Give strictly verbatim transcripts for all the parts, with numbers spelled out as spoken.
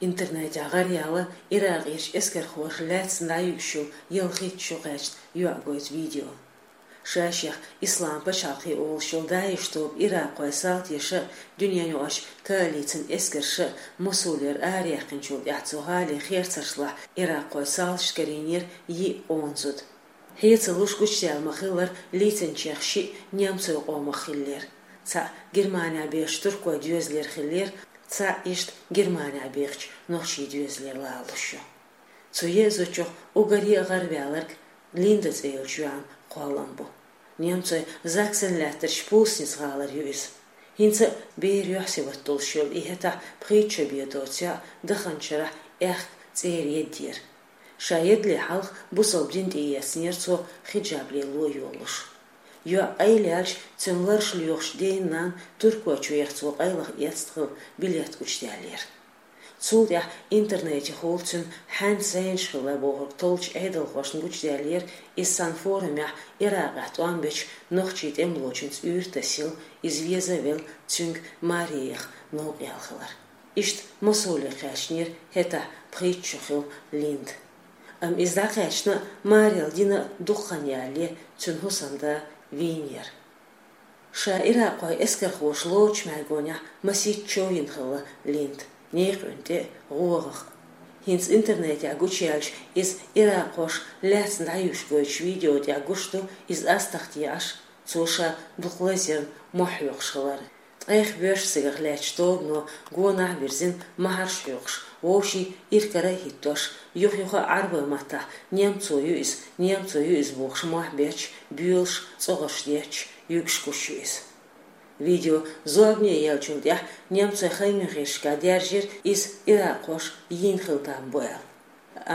Интернетехь гӀараяьлла Иракъерчу эскархоша лаьцна дӀаюьгуш йолу ялхитта шо кхаьчна йоӀ гойту видео. Ша-шех Ислам пачхьалкх олуш йолу ДАИШ тоба иракъойн салташа а, дуьненаюкъарчу коалицин эскарша а Мосулера араяьккхинчул тӀаьхьа цу гӀалин херцаршлахь иракъойн салташна карийнера йиъ къона зуда. Хьецалуш гучудаьлла ма-хиллара, лийцинчех шиъ немцойн къомах хиллера. Цхьаъ Германехь бехачу туркойн доьзалера хиллера, цхьаъ иштта Германехь бехачу нохчийн доьзалера лалуш ю. Цу еа зудчух уггаре а гӀараваьлларг Линда цӀе йолчу йоьӀан кхоллам бу. Немцойн Заксен лаьттарчу Пулсница гӀалара ю иза. ХӀинца а бер юьхь-сибат долуш йолу и хӀетахь пхийтта шо бен доцу йоӀ даханчу шарахь аьхка цӀера еддера. Ша едале хьалха бусалба дин тӀеэцнера цо хиджаб лело йолуш. ЙоӀ къайлаяьлча, цуьнан лараш лоьхучу ден-нанна Туркойчу веха цо къайлаха эцна хилла билет гучудаьллера. Цул тӀаьхьа интернетехула цуьнан хьаьнца зӀенаш хилла бохург толлучу Ӏедалхошна гучудаьллера, иза цхьана форумехь Иракъехь тӀом бечу нохчийн тӀемалочуьнца уьйр тасийла, иза веза а велла, цуьнга маре яха новкъа яьлла хилар. Иштта Мосуле кхаьчнера хӀетахь пхийтта шо хилла Линда. Амма иза дӀакхаьчна а, марел дина а дукха хан ялале, цуьнан хӀусамда вийнера. Ша иракъойн эскархоша лоручу мӀаьргонехь масийтта чов йина хилла Линда, некъан тӀе а, гӀогӀах а. ХӀинца интернетехь гучуяьлча, иза иракъхоша лаьцна дӀаюьгуш гойтучу видео тӀехь гуш ду, иза астагӀа тӀеӀаш, цо ша дукха лазъярна мохь хьоькхуш хилар. Ткъех боьрша цигахь лаьттачу тобано гонах а вирзина, махьарш хьоькхуш, вовшийн ирхкара а хӀиттош, юха-юха а Ӏарбойн маттахь: «Немцо ю иза, немцо ю иза», — бохуш мохь бетташ, боьлуш, цӀогӀарш детташ, юьгуш гуш ю иза. Видео зорбане еллачул тӀаьхьа немцойн хаймехьершкахь даьржира иза иракъхоша йийна хилла там бу аьлла.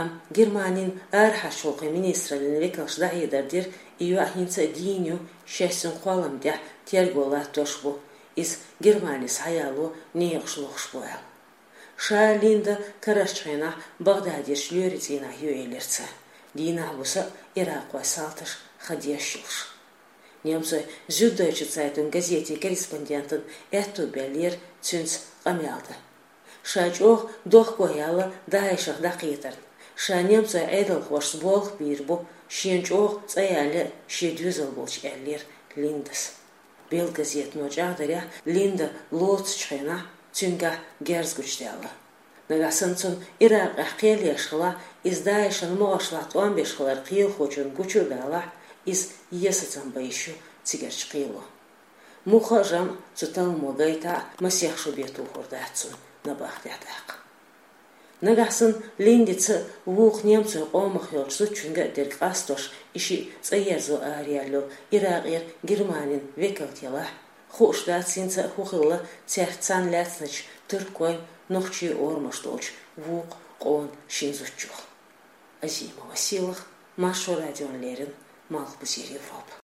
Амма Германин арахьарчу гӀуллакхийн министраллин векалша дӀахьедар дира, и йоӀ хӀинца а дийна ю, шаьш цуьнан кхоллам тӀехь терго латтош бу, иза Германи схьаяло некъаш лохуш бу аьлла. Ша Линда карарчу хенахь Багъдадерчу лоьрийн цӀийнахь ю элира цара, дийнахь-буса а иракъойн салташа хан деш йолуш. Немцойн Зюддойче Цайтунг газетин корреспондентана аьтто баьллера цуьнца къамел дан. Ша чӀогӀа дохко яьлла ДАИШах дӀакхетарна. Ша немцойн Ӏедалхошца болх бийр бу, шена чӀогӀа цӀа яьлла шен доьзал болчу, аьллера Линдас. Белла газетано чӀагӀдарехь, Линда лоцучу хенахь цуьнгахь герз гучудаьлла. Нагахь санна цунна Иракъехь кхел еш хилахь, иза ДАИШан могӀаршлахь тӀом беш хилар кхелахочунна гучу а далахь, иза есацам бан йиш ю цигарчу кхело. Муха а жамӀ цу талламо гайтахь а, масех шо бен тухур дац цунна набахтехь даккха. Нагахь санна Линдица а, вукху немцойн къомах йолчу зудчуьнга а дерг къастош, и шиъ цӀа ерзо араяьлла йолу Иракъера Германин векалт елахь, хууш дац хӀинца а хӀун хилла цаьрца цхьаьна лаьцначу туркойн, нохчийн орамаш долчу вукху къона шина зудчух. Азимова Сийлаха, Маршо радиона леррина, Малхбузера Европа.